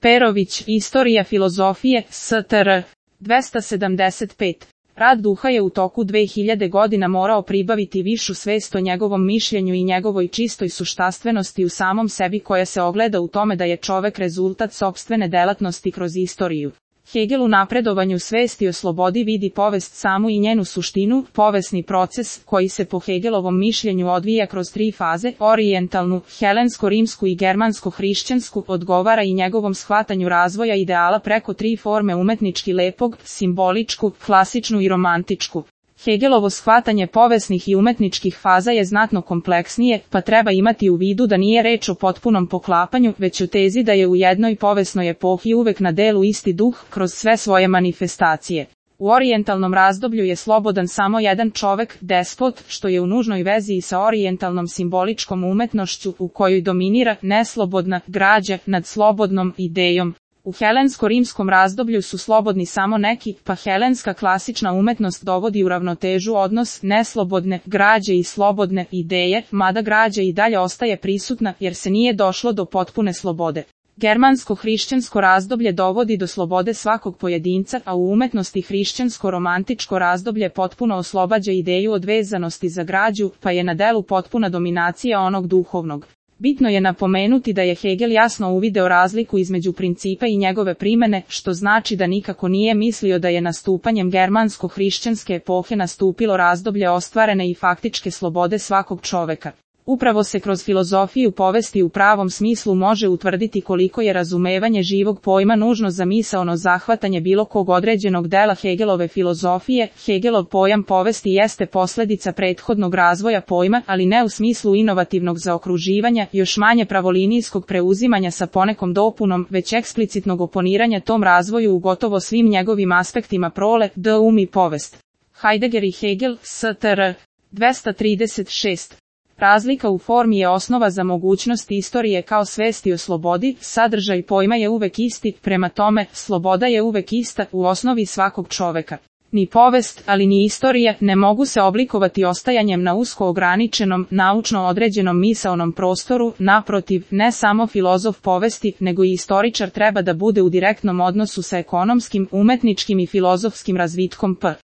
Perović, Istorija filozofije, STR. 275. Rad duha je u toku 2000 godina morao pribaviti višu svest o njegovom mišljenju i njegovoj čistoj suštastvenosti u samom sebi koja se ogleda u tome da je čovek rezultat sopstvene delatnosti kroz istoriju. Hegel u napredovanju svesti o slobodi vidi povest samu i njenu suštinu, povesni proces, koji se po Hegelovom mišljenju odvija kroz tri faze, orijentalnu, helensko-rimsku i germansko-hrišćansku, odgovara i njegovom shvatanju razvoja ideala preko tri forme umetnički lepog, simboličku, klasičnu i romantičku. Hegelovo shvatanje povesnih i umetničkih faza je znatno kompleksnije, pa treba imati u vidu da nije reč o potpunom poklapanju, već o tezi da je u jednoj povesnoj epohi uvek na delu isti duh kroz sve svoje manifestacije. U orijentalnom razdoblju je slobodan samo jedan čovek, despot, što je u nužnoj vezi i sa orijentalnom simboličkom umetnošću u kojoj dominira neslobodna građa nad slobodnom idejom. U helensko-rimskom razdoblju su slobodni samo neki, pa helenska klasična umetnost dovodi u ravnotežu odnos neslobodne građe i slobodne ideje, mada građa i dalje ostaje prisutna jer se nije došlo do potpune slobode. Germansko-hrišćansko razdoblje dovodi do slobode svakog pojedinca, a u umetnosti hrišćansko-romantičko razdoblje potpuno oslobađa ideju od vezanosti za građu, pa je na delu potpuna dominacija onog duhovnog. Bitno je napomenuti da je Hegel jasno uvideo razliku između principa i njegove primene, što znači da nikako nije mislio da je nastupanjem germansko-hrišćanske epohe nastupilo razdoblje ostvarene i faktičke slobode svakog čoveka. Upravo se kroz filozofiju povesti u pravom smislu može utvrditi koliko je razumevanje živog pojma nužno za misaono zahvatanje bilo kog određenog dela Hegelove filozofije. Hegelov pojam povesti jeste posledica prethodnog razvoja pojma, ali ne u smislu inovativnog zaokruživanja, još manje pravolinijskog preuzimanja sa ponekom dopunom, već eksplicitnog oponiranja tom razvoju u gotovo svim njegovim aspektima prole, i povest. Heidegger i Hegel, STR. 236. Razlika u formi je osnova za mogućnost istorije kao svesti o slobodi, sadržaj pojma je uvek isti, prema tome, sloboda je uvek ista u osnovi svakog čoveka. Ni povest, ali ni istorija ne mogu se oblikovati ostajanjem na usko ograničenom, naučno određenom misaonom prostoru, naprotiv, ne samo filozof povesti, nego i istoričar treba da bude u direktnom odnosu sa ekonomskim, umetničkim i filozofskim razvitkom